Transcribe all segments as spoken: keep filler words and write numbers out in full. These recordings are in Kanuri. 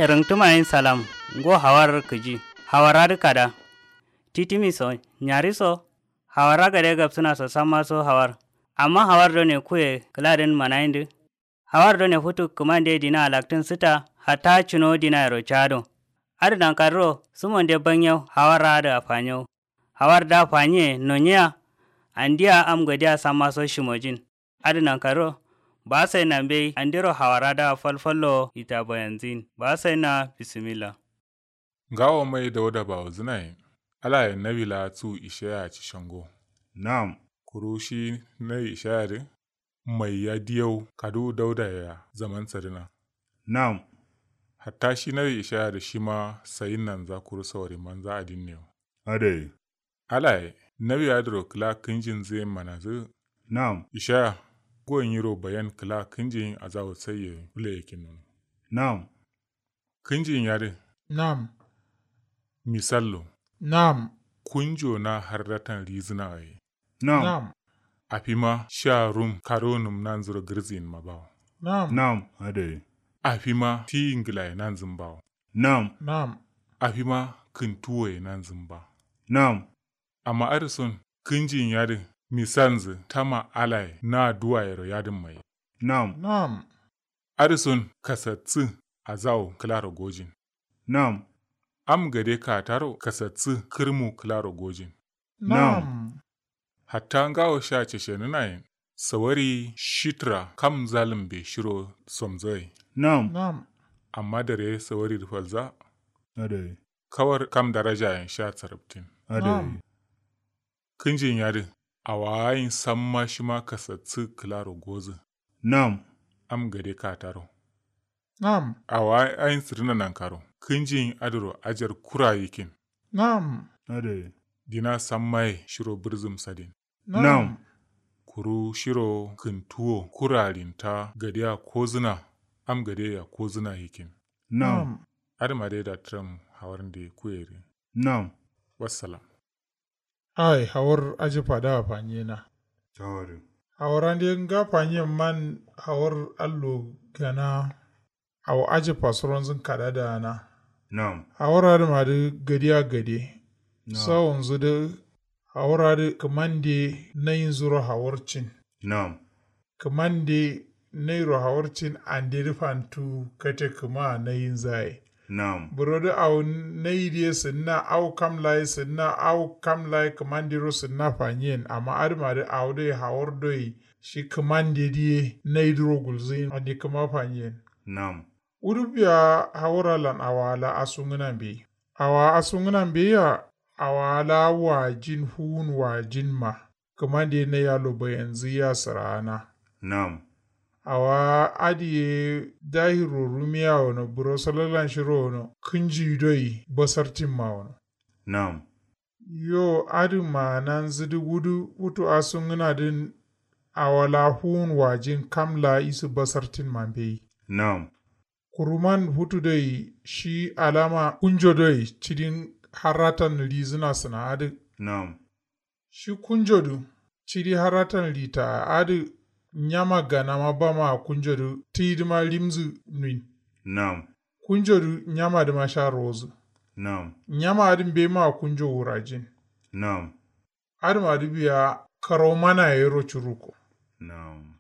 Rǝngtǝmayin salam. Ngo hawar kǝji. Hawar adǝ kada. Titimi so nyari so. Hawar agade gabsǝna so samma so hawar. Amma hawar done kuye kǝladǝn manayindǝ. Hawar done futu kǝmande dina alaktǝn sǝta. Hatta cǝno dinayero cado. Adǝ nankarro sǝmonde banyau hawar adǝ afanyo. Hawar da fanyiye nonyiya. Andiya am gadiya samma so shimojin. Adǝ nankaro. Ba sai na mbei andiro hawara da falfallo ita bayanzin ba sai na bisimilla. Ngawo mai dauda bawuzǝnaye. Alaye nawi la cu ishaya ci shango. Nam. Kuru shi nawi ishaya dǝ. Mai ya diyau kaduwu dauda ya zaman sadǝna. Nam. Hatta shi nawi ishaya dǝ shima sayin nanza kuru sawari manza adin ne wo. Adai. Alaye nawi adǝro kǝla kǝnjinzǝ ye manazǝ. Nam. Ishaya. Ngo nyiro bayan kǝla kǝnjin azawu saiye fule yakin nono. Nam. Kǝnjin yadǝ. Nam. Misallo. Nam. Kunjo na harratan rizǝna ye. Nam. Afima sha rum karo nǝm nanzǝro gǝrziyin ma bawo. Nam. Nam. Adai. Afima tiyi ngǝlaye nanzǝm bawo. Nam. Nam. Afima kǝntuwoye nanzǝm ba. Nam. Amma adǝ son kǝnjin yadǝ misalnzǝ tama alaye na duwayero yadǝmma ye. Nam. Nam. Adǝ son kasatsǝ azawo kǝlaro gojin. Nam. Am gade kataro kasatsǝ kǝrmu kǝlaro gojin. Nam. Hatta ngawo sha ceshenǝnayen sawari shitra kam zalǝmbe shiro somzoye. Nam. Nam. Amma dare sawari dǝ falza. Adai. Kawar kam darajayen sha sarabtin. Adai. Kǝnjin yadǝ awayin samma shima kasatsǝ kǝlaro gozǝ. Nam. Am gade kataro. Nam. Awayin sǝdǝna nankaro kǝnjin adǝro ajar kura yikin. Nam. Adai. Dina sammaye shiro bǝrzǝm sadin. Nam. Kuru shiro kǝntuwo kura rinta gadiya kozǝna. Am gade ya kozǝna yikin. Nam. Adǝma dai da tǝram hawarnde kuyeri. Nam. Wassalam. Ai hawar ajǝfa da fanyena. Hawar ande nga fanyen man hawar allo gana. Awo ajǝfa suronzǝn kada dana. Nam. Hawar adǝma dǝ gadiya gade. Sawonzǝ dǝ hawar adǝ kǝmande nayinzuro hawarcin. Nam. Kǝmande nairo hawarcin ande dǝ fantu kate kǝma nayinzaye. Nam. Buro dǝ awo nayi dǝ ye sǝnna awo kam la ye sǝnna awo kam la ye kǝmandero sǝnna fanyen amma adǝma dǝ awo doi hawar doi shi kǝmande dǝ ye nayi dǝro gulzǝyin ande kǝma fanyen. Nam. Wuduk biya hawar alan awa la asungǝna mbeyi awa asungǝna mbeyi ya. Awa la wajin fuwun wajin ma kǝmande nai allo bayanzǝ ya sǝraana. Nam. Awa adǝ ye dahiro rumiya wono buro salalan shiro wono kǝnji doi basartin ma wono. Nam. Yo adǝ maananzǝ dǝ wudu futu asungǝna dǝn. Awa la fuwun wajin kam la isǝ basartin ma mbeyi. Nam. Kuruman futu doi shi alama kunjo doi cidin harratan rizǝna sǝna adǝ. Nam. Shi kunjo dǝ cidi harratan rita adǝ. Nyama ganama bama kunjo dǝ tǝyi dǝma rimzǝ nuin. Nam. Kunjo dǝ nyama dǝma sha rozǝ. Nam. Nyama adǝ mbeima kunjo wurajin. Nam. Adǝma dǝ biya karau mana yero curuko. Nam.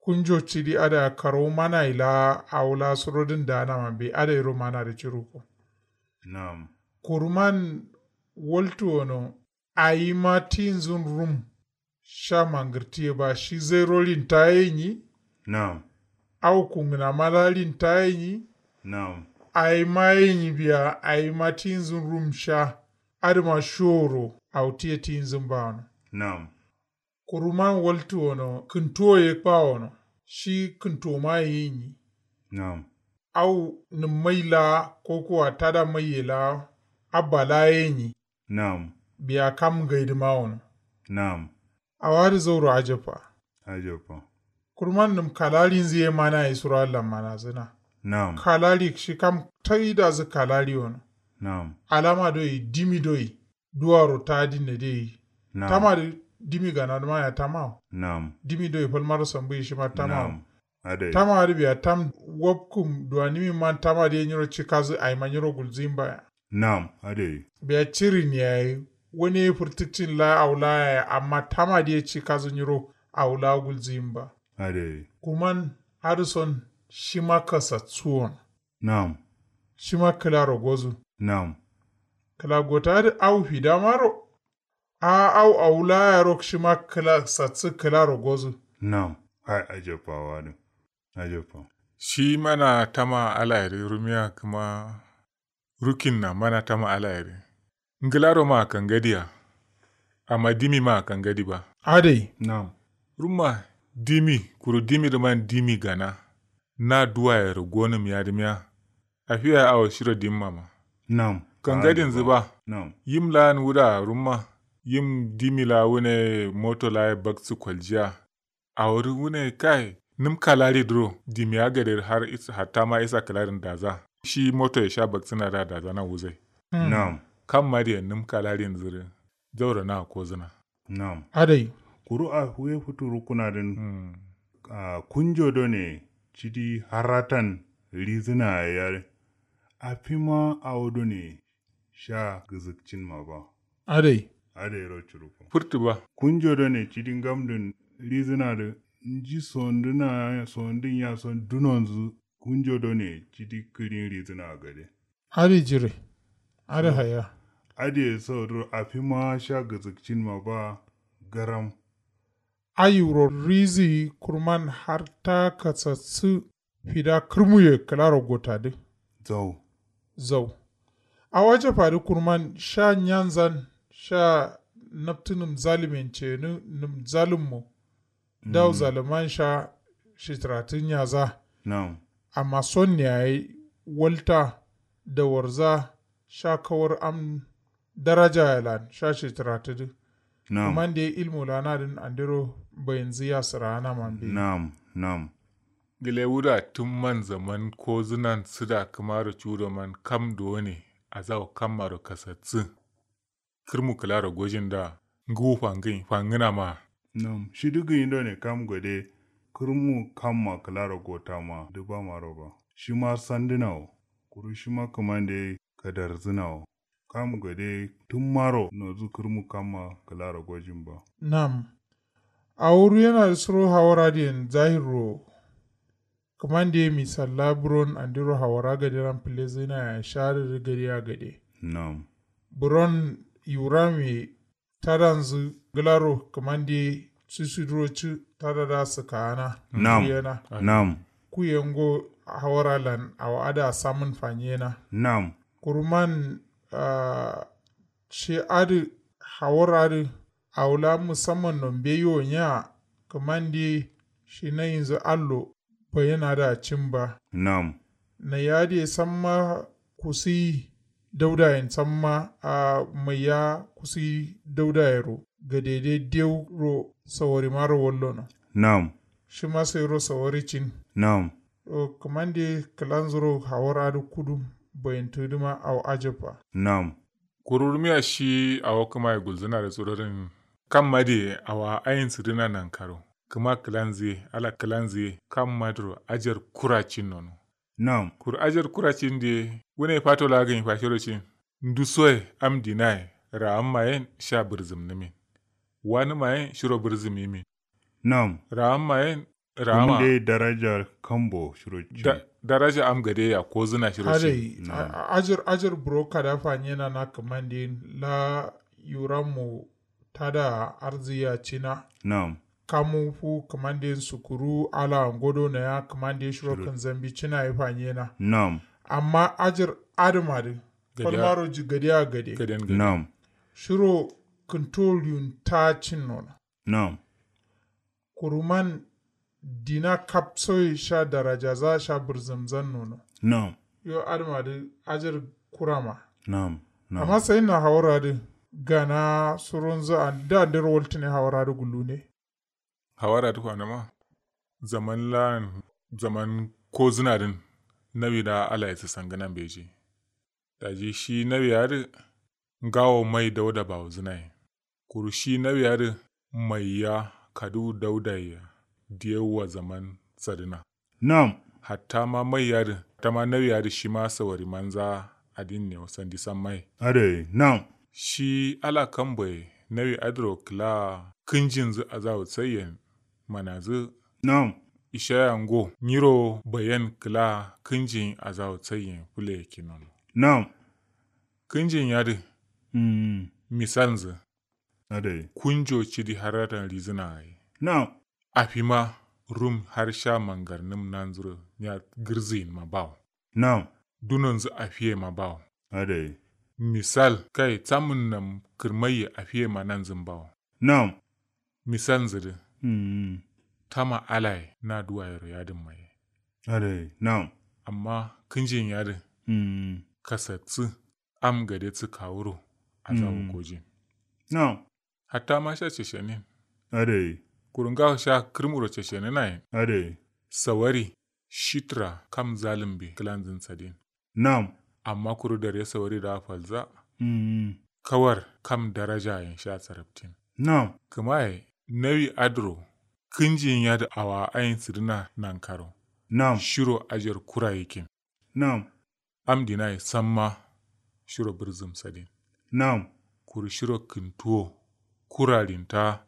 Kunjo cidi adǝ a karau mana ila awo la surodǝn danama mbe adǝ yero mana dǝ curuko. Nam. Kuruman waltu wono. Ayima tinzǝn rum sha mangǝrtiye ba shi zairo rinta ye nyi. Nam. Au kungǝna ma la rinta ye nyi. Nam. Ayima ye nyi biya ayima tinzǝn rum sha. Adǝma shoro awo tiye tinzǝn ba wono. Nam. Kuruman waltu wono kǝntuwo ye ba wono. Shi kǝntuwo ma ye nyi. Nam. Au nǝmmai la kokowa tada maiye la abba la ye nyi. Nam. Biya kam ngai dǝma wono. Nam. Awa dǝ zauro ajabba. Ajabba. Kurman nǝm kalarinzǝ ye mana ye suro allan manazǝna. Nam. Kalari shi kam taidazǝ kalari wono. Nam. Alama doi dimi doi duwaro tadinne dai. Nam. Tama dǝ dimi gana dǝma ya tama wo. Nam. Dimi doi falmaro sambuyi shima tama wo. Nam. Adai. Tama adǝ biya tam wapkǝm duwanimin man tama dǝ ye nyiro cikazu aima nyiro gulzǝyin ba ya. Nam adai. Biya cirin yayi wani ye fǝrtǝkcin la awo la yayi amma tama dǝ ye cikazu nyiro awo la gulzǝyin ba. Adai. Kuman adǝ son shima kasatsuwon. Nam. Shima kǝlaro gozu. Nam. Kǝla gota adǝ awo fida maro. A awo awo la yaro shima kǝla satsu kǝlaro gozu. Nam. Hai ajabba wa dǝ. Ajabba. Shi mana tama alayeri rumiya kǝma. Rukin na mana tama alayeri. Ngǝlaro ma kangadiya. Amma dimi ma kangadi ba. Adai. Nam. Rumma dimi kuru dimi dǝ man dimi gana. Na duwayero gonǝm yadǝmiya. Afiya awo shiro dimma ma. Nam. Kangadinzǝ ba. Nam. Yim lan wuda rumma. Yim dimi la wune moto la ye baksu kwaljiya. Awo dǝ wune kai. Nǝm kalari dǝro dimiya gade har hatta ma isa kalarin daza. Shi moto ye sha baksuna da daza na wuzai. Nam. Kam ma diye nǝm kalarinzǝ dǝ. Zauro na kozǝna. Nam. Adai. Kuru a huye futu rukuna dǝn. Kunjo done cidi haratan rizǝna yayi. Afima awo done sha gǝzǝkcin ma ba. Adai. Adai ro curuko. Furtu ba. Kunjo done cidi ngamdun rizǝna dǝ. Nji sonduna sondun ya son dunonzǝ. Kunjo done cidi kǝrin rizǝna gade. Adǝ jire. Adǝ haya. Adǝ ye so duro afima sha gǝzǝkcin ma ba. Garam. Ayi wuro rizi kurman har ta kasassǝ. Fida kǝrmuye kǝlaro gotadǝ. Zau. Zau. Awo ajabadǝ kurman sha nyanzan sha naptǝ nǝm zalǝmen ceyeni nǝm zalǝmmo. Dawu zalǝman sha shitǝratǝ nyaza. Nam. Amma sonne yayi walta dawarza sha kawar am darajaye lan sha shitǝratǝdǝ. Nam. Kǝmande ilmu lanadǝn andero bayinzǝ yasǝraana mambe. Nam. Nam. Gǝle wuda tǝmman zaman kozǝnan sǝda kǝmaro cudo man kam done. Azawo kammaro kasatsǝ. Kǝrmu kǝlaro gojin da. Ngǝwu fangǝnyi fangǝna ma. Nam shidǝ gǝnyi done kam gade. Kǝrmu kamma kǝlaro gotama dǝbamaro ba. Shima sandǝnawo. Kuru shima kǝmande kadarzǝnawo. Kam gade tǝmmaro nozǝ kǝrmu kamma kǝlaro gojin ba. Nam. Awo ruyenadǝ suro hawar adǝyen zahirro. Kǝmande ye misalla buron andiro hawara gaderan fǝlezǝna yayi shadǝ dǝ gade a gade. Nam. Buron yuram ye tadanzǝ ngǝlaro kǝmande ye sǝsuduro cǝ tadada sǝkaana. Nam. Nam. Kuyengo hawara lan awo adǝ asamǝn fanyena. Nam. Kuruman. Shi adǝ hawar adǝ awo la musamman no mbeyi wo nya. Kǝmande shi nayinzǝ allo. Bayin adǝ acin ba. Nam. Nayi adǝ ye samma kusiyi daudayen samma. A maiya kusiyi daudayero gadede dewro sawarimaro wallono. Nam. Shima sairo sawari cin. Nam. Kǝmande kǝlanzuro hawar adǝ kudum. Bayintǝdǝma awo ajabba. Nam. Kuru rumiya shi awo kǝmaye gulzǝna dǝ surodin. Kamma diye awa ayin sǝdǝna nankaro. Kǝma kǝlanzǝ ye ala kǝlanzǝ ye kamma dǝro ajar kura cin nono. Nam. Kuru ajar kura cin diye wune fato la gǝnyi fashero cin. Ndusoye am dinaye ra'amma yen sha bǝrzǝmnǝmin. Wanǝma yen shiro bǝrzǝmimin. Nam. Ra'amma yen. Ra'amma. Kǝmande daraja kambo shiro cin. Daraja am gade ya kozǝna shiro cin. Adai. Ajir ajir buro kada fanyena na kǝmande la yurammo. Tada arzǝ ya cina. Nam. Kamu fu kǝmande sukuru ala ngodo naya kǝmande shiro kǝnzambi cina ye fanyena. Nam. Amma ajir adǝma dǝ. Falmaro ji gade a gade. Nam. Shiro kǝnto riyunta cin nono. Nam. Kuruman dina kapsoye sha darajaza sha bǝrzǝmzan nono. Nam. Yo adǝma dǝ ajir kurama. Nam. Amma sayinna hawura dǝ gana suronzǝ andero waltǝne hawura dǝ gullune. Hawura dǝ fanǝma zaman lan zaman kozǝna dǝn. Nawi da ala ye sǝsangǝna mbeji. Daji shi nawi adǝ ngawo mai dauda bawuzǝnaye. Kuru shi nawi adǝ maiya kaduwu daudaye ya. Diyewwa zaman sadǝna. Nam. Hatta ma mai yadǝ hatta ma nawi yadǝ shima sawari manza adin ne sandi samma ye. Adai nam. Shi ala kambo ye nawi adǝro kǝla kǝnjinzǝ azawu saiyen manazǝ. Nam. Ishaya ngo nyiro bayen kǝla kǝnjin azawu saiyen fule kinono. Nam. Kǝnjin yadǝ. Misalnzǝ. Adai kunjo cidi harratan rizǝna ye. Nam. Afima rum har sha mangarnǝm nanzuro nya gǝrziyin ma bawo. Nam. Dunonzǝ afiye ma bawo. Adai. Misal kai tsamun nam kǝrmaiye afiye ma nanzǝn bawo. Nam. Misalnzǝ dǝ. Tama alaye na duwayero yadǝn maye. Adai nam. Amma kǝnjin yadǝ. Kasatsǝ am gadetsǝ kawuro azawu gojin. Nam. Hatta ma sha ceshenin. Adai. Kuru ngawo sha kǝrmuro cesheninayen. Adai. Sawari shitra kam zalǝmbe kǝlanzǝn sadin. Nam. Amma kuru dare sawari da falza. Kawar kam darajayen sha sarabtin. Nam. Kǝmaye nawi adǝro kǝnjin yadǝ awa ayin sǝdǝna nankaro. Nam. Shiro ajar kura yikin. Nam. Am dinaye samma shiro bǝrzǝm sadin. Nam. Kuru shiro kǝntuwo kurarinta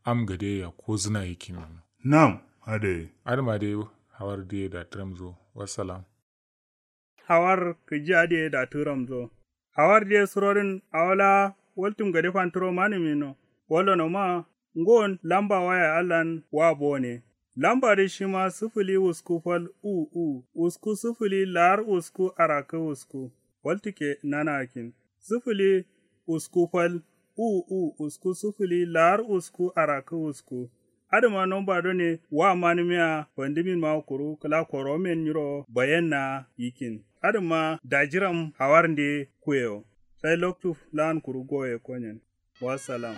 am gade yakkozǝna yikin. Nam. Adai. Adǝma dai hawar diye datǝramzo. Wassalam. Hawar kǝji adǝ ye datǝramzo. Hawar diye surodǝn awo laa waltǝm gade fanturo manǝmino. Wallonoma ngon lamba waya allan wa bone. Lambadǝ shima sǝfǝli wusku fal u u wusku sǝfǝli lar wusku arakkǝ wusku. Waltǝkke nanakin sǝfǝli wusku fal u u wusku sǝfǝli lar wusku arakkǝ wusku. Adǝma nomba done wa manǝmiya fandǝmin ma kuru kǝla koromen nyiro bayenna yikin. Adǝma dajiram hawarnde kuyewo. Sai loktu lan kuru goye konyen. Wassalam.